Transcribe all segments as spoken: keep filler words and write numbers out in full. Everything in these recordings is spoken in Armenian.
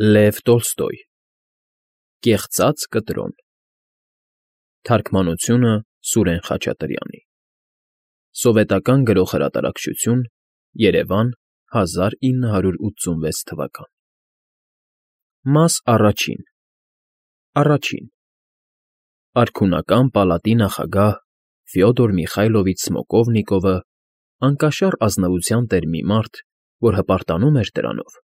Լև Տոլստոյ Կեղծած կտրոն Թարգմանությունը Սուրեն Խաչատրյանի Սովետական Գրողհրատարակչություն Երևան հազար ինը հարյուր ութսունվեց թվական Մաս առաջին Առաջին Արքունական պալատի նախագահ Ֆյոդոր Միխայլովիչ Սմոկովնիկովը անկաշառ ազնվության տեր մի մարդ, որ հպարտանում էր դրանով,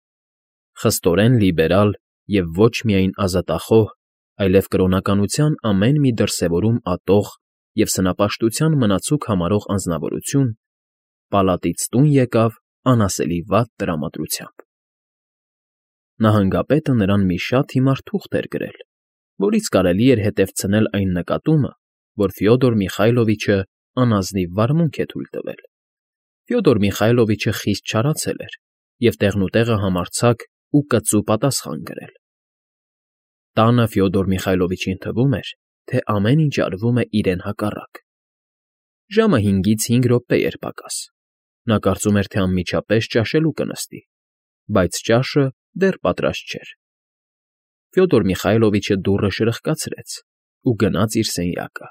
խստորեն լիբերալ և ոչ միայն ազատախոհ, այլև կրոնականության ամեն մի դրսևորում ատող և սնապաշտության մնացուկ համարող անձնավորություն, պալատից տուն եկավ անասելի վատ տրամադրությամբ։ Նահանգապետը նրան մի շատ հիմար թուղթ էր գրել, որից կարելի էր հետևցնել այն նկատումը, որ Ֆյոդոր Միխայլովիչը անազնիվ վարմունք է թույլ տվել։ Ֆյոդոր Միխայլովիչը խիստ չարացել էր և տեղնուտեղը համարձակ ու կծու պատասխան գրել։ Տանը Ֆյոդոր Միխայլովիչին թվում էր, թե ամեն ինչ արվում է իրեն հակառակ։ Ժամը հինգից հինգ րոպե էր պակաս։ Նա կարծում էր, թե անմիջապես ճաշելու կնստի, բայց ճաշը դեռ պատրաստ չէր։ Ֆյոդոր Միխայլովիչը դուռը շրխկացրեց ու գնաց իր սենյակը։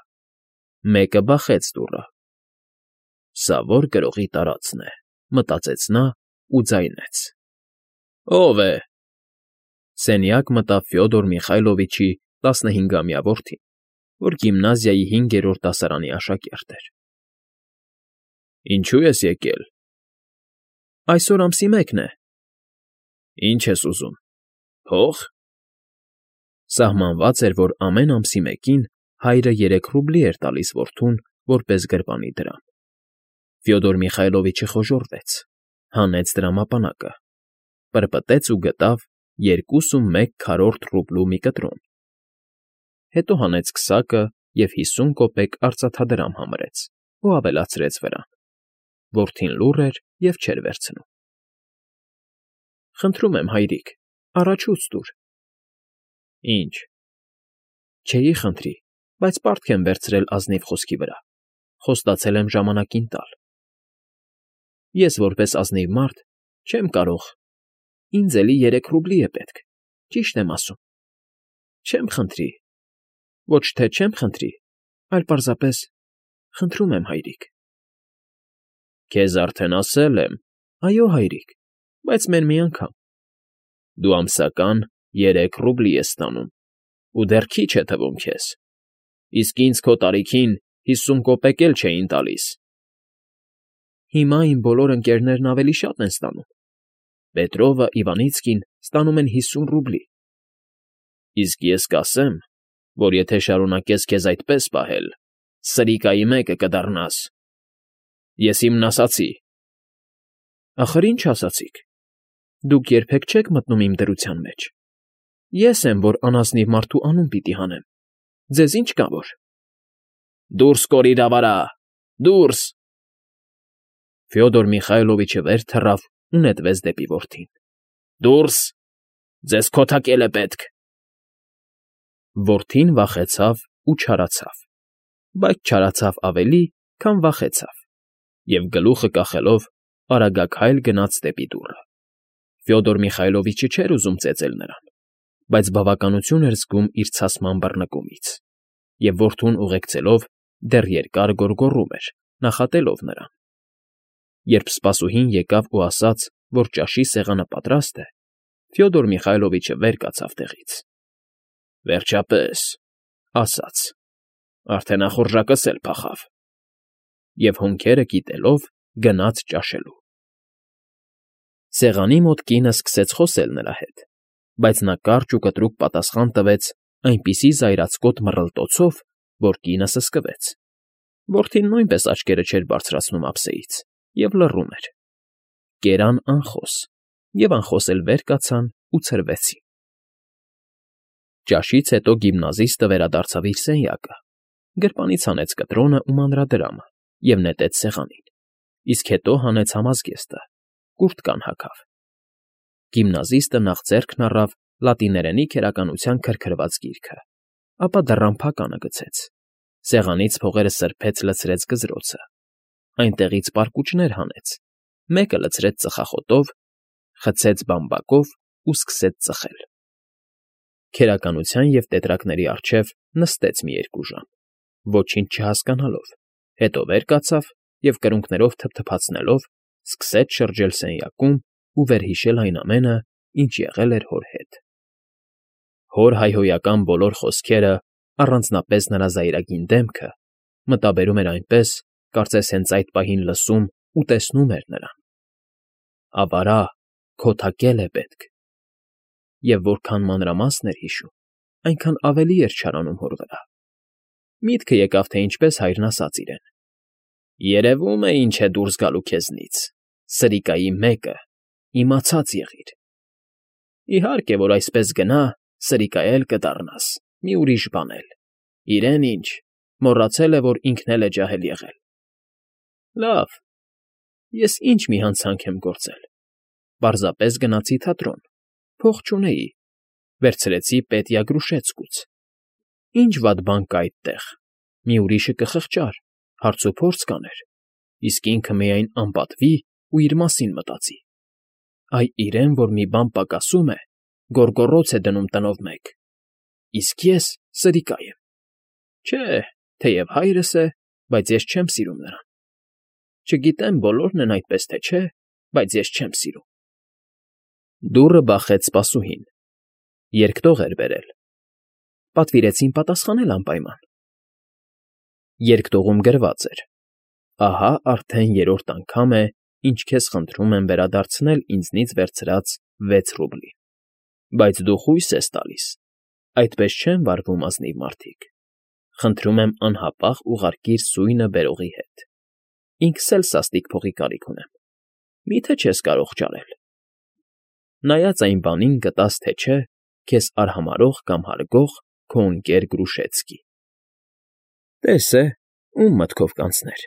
Մեկը բախեց դուռը։ «Սա ո՞ր գրողի տարածքն է», մտածեց նա ու ձայնեց. «Ո՞վ է»։ Սենյակ մտավ Ֆյոդոր Միխայլովիչի տասնհինգամյա որդին, որ գիմնազիայի հինգերորդ դասարանի աշակերտ էր։ «Ինչո՞ւ ես եկել»։ «Այսօր ամսի մեկն է»։ «Ի՞նչ ես ուզում, փո՞ղ»։ Սահմանված էր, որ ամեն ամսի մեկին հայրը երեք ռուբլի էր տալիս որդուն որպես գրպանի դրամ։ Ֆյոդոր Միխայլովիչը խոժոռվեց, հանեց դրամապանակը, պրպտեց ու գտավ երկուսունմեկ քառորդ ռուբլու մի կտրոն։ Հետո հանեց քսակը և հիսուն կոպեկ արծաթադրամ համրեց ու ավելացրեց վրան։ Որդին լուռ էր և չէր վերցնում։ «Խնդրում եմ, հայրիկ, առաջուց տուր»։ «Ի՞նչ»։ «Չէի խնդրի, բայց պարտք եմ վերցրել ազնիվ խոսքի վրա, խոստացել եմ ժամանակին տալ»։ «Ես որպես ազնիվ մարդ չեմ կարող, ինձ էլի երեք ռուբլի է պետք, ճիշտ եմ ասում»։ «Չեմ խնդրի, ոչ թե չեմ խնդրի, այլ պարզապես խնդրում եմ, հայրիկ»։ «Քեզ արդեն ասել եմ»։ «Այո, հայրիկ, բայց մեն մի անգամ»։ «Դու ամսական երեք ռուբլի ես ստանում, ու դեռ քիչ է թվում քեզ, իսկ ինձ քո տարիքին հիսուն կոպեկ էլ չէին տալիս»։ «Հիմա իմ բոլոր ընկերներն ավելի շատ են ստանում. Պետրովը, Իվանիցկին ստանում են հիսուն ռուբլի»։ «Իսկ ես կասեմ, որ եթե շարունակես քեզ այդպես պահել, սրիկայի մեկը կդառնաս»։ «Ես իմն ասացի»։ «Ախր ինչ ասացիք։ Դուք երբեք չեք մտնում իմ դրության մեջ։ Ես եմ, որ անազնիվ մարդու անուն պիտի հանեմ, ձեզ ի՞նչ կա որ»։ «Դուրս կորիր ավարա, դուրս»։ Ֆյոդոր Միխայլովիչը վեր թռավ ու նետվեց դեպի որդին։ «Դուրս, ձեզ քոթակել է պետք»։ Որդին վախեցավ ու չարացավ, բայց չարացավ ավելի, քան վախեցավ, և գլուխը կախելով արագաքայլ գնաց դեպի դուռը։ Ֆյոդոր Միխայլովիչը չէր ուզում ծեծել նրան, բայց բավականություն էր զգում իր ցասման բռնկումից, և որդուն ուղեկցելով դեռ երկար գոռգոռում էր, նախատելով նրան։ Երբ սպասուհին եկավ ու ասաց, որ ճաշի սեղանը պատրաստ է, Ֆյոդոր Միխայլովիչը վեր կացավ տեղից։ «Վերջապես», ասաց, «արդեն ախորժակս էլ փախավ»։ Եվ հոնքերը կիտելով գնաց ճաշելու։ Սեղանի մոտ կինը սկսեց խոսել նրա հետ, բայց նա կարճ ու կտրուկ պատասխան տվեց այնպիսի զայրացկոտ մռլտոցով, որ կինը սսկվեց։ Որդին նույնպես աչքերը չէր բարձրացնում ափսեից և լռում էր։ Կերան անխոս, և անխոս էլ վեր կացան ու ցրվեցին։ Ճաշից հետո գիմնազիստը վերադարձավ իր սենյակը, գրպանից հանեց կտրոնը ու մանրադրամը և նետեց սեղանին, իսկ հետո հանեց համազգեստը, կուրտկան հագավ։ Գիմնազիստը նախ ձեռքն առավ լատիներենի քերականության քրքրված գիրքը, ապա դռան փականը գցեց, սեղանից փողերը սրբեց լցրեց գզրոցը, այնտեղից պարկուճներ հանեց, մեկը լցրեց ծխախոտով, խցեց բամբակով ու սկսեց ծխել։ Քերականության և տետրակների առջև նստեց մի երկու ժամ, ոչինչ չհասկանալով, հետո վեր կացավ և կրունկներով թփթփացնելով սկսեց շրջել սենյակում ու վերհիշել այն ամենը, ինչ եղել էր հոր հետ։ Հոր հայհոյական բոլոր խոսքերը, առանձնապես նրա զայրագին դեմքը, մտաբերում էր այնպես, կարծես հենց այդ պահին լսում ու տեսնում էր նրան։ «Ավարա, քո թակել է պետք»։ Եվ որքան մանրամասն էր հիշում, այնքան ավելի էր չարանում հոր վրա։ Միտքը եկավ, թե ինչպես հայրն ասաց իրեն. «Երևում է ինչ է դուրս գալու քեզնից, սրիկայի մեկը, իմացած եղիր»։ Իհարկե, որ այսպես գնա, սրիկա էլ կդառնաս, մի ուրիշ բան էլ, իրեն ինչ, մոռացել է, որ ինքն էլ է ջահել եղել։ Լավ, ես ինչ մի հանցանք եմ գործել, պարզապես գնացի թատրոն, փող չունեի, վերցրեցի Պետիա Գրուշեցկուց։ Ինչ վատ բան կա այդտեղ, մի ուրիշը կխղճար, հարցուփորձ կաներ, իսկ ինքը միայն անպատվի ու իր մասին մտածի։ Այ իրեն, որ մի բան պակասում է, գոռգոռոց է դնում տնով մեկ, իսկ ես սրիկա եմ։ Չէ, թեև հայրս է, բայց ես չեմ սիրում նրան։ Չգիտեմ բոլորն են այդպես, թե չէ, բայց ես չեմ սիրում։ Դուռը բախեց սպասուհին։ Երկտող էր բերել։ Պատվիրեցին պատասխանել անպայման։ Երկտողում գրված էր. «Ահա արդեն երրորդ անգամ է, ինչ քեզ խնդրում եմ վերադարձնել ինձնից վերցրած վեց ռուբլի։ Բայց դու խույս ես տալիս, այդպես չեն վարվում ազնիվ մարդիկ։ Խնդրում եմ անհապաղ ուղարկիր սույնը բերողի հետ։ Ինքս էլ սաստիկ փողի կարիք ունեմ։ Մի՞թե չես կարող ճարել։ Նայած այն բանին գտած թե չէ, քեզ արհամարհող կամ հարգող քո ընկեր Գրուշեցկի»։ Տես է, ում մտքով կանցներ,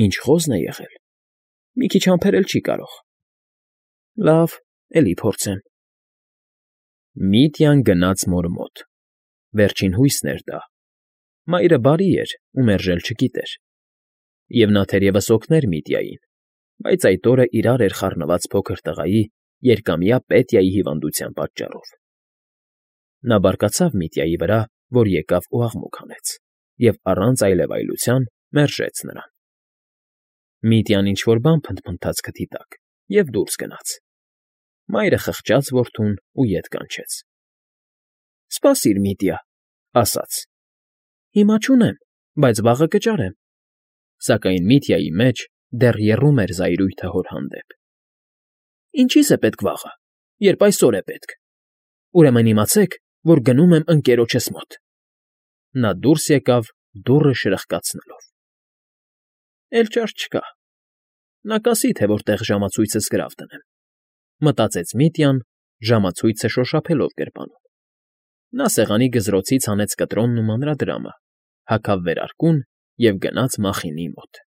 ինչ խոզն է եղել, մի քիչ համբերել չի կարող։ Լավ, էլի փորձեմ։ Միտյան գնաց մոր մոտ։ Վերջին հույսն էր դա։ Մայրը բարի էր ու մերժել չգիտեր։ Եվ նա թերևս օգներ Միտյային, բայց այդ օրը իրար էր խառնված փոքր տղայի երկամյա Պետիայի հիվանդության պատճառով։ Նա բարկացավ Միտյայի վրա, որ եկավ ու աղմուկ հանեց, և առանց այլևայլության մերժեց նրան։ Միտյան ինչ֊որ բան փնթփնթաց քթի տակ և դուրս գնաց։ Մայրը խղճաց որդուն ու ետ կանչեց։ «Սպասիր, Միտյա», ասաց։ «Հիմա չունեմ, բայց վաղը կճարեմ»։ Սակայն Միտյայի մեջ դեռ եռում էր զայրույթը հոր հանդեպ։ «Ինչի՞ս է պետք վաղը, երբ այսօր է պետք։ Ուրեմն իմացեք, որ գնում եմ ընկերոջս մոտ»։ Նա դուրս եկավ դուռը շրխկացնելով։ «Էլ ճար չկա։ Նա կասի, թե որտեղ ժամացույցս գրավ դնեմ», մտածեց Միտյան, ժամացույցը շոշափելով գրպանում։ Նա սեղանի գզրոցից հանեց կտրոնն ու մանրադրամը, հագավ վերարկուն և գնաց Մախինի մոտ։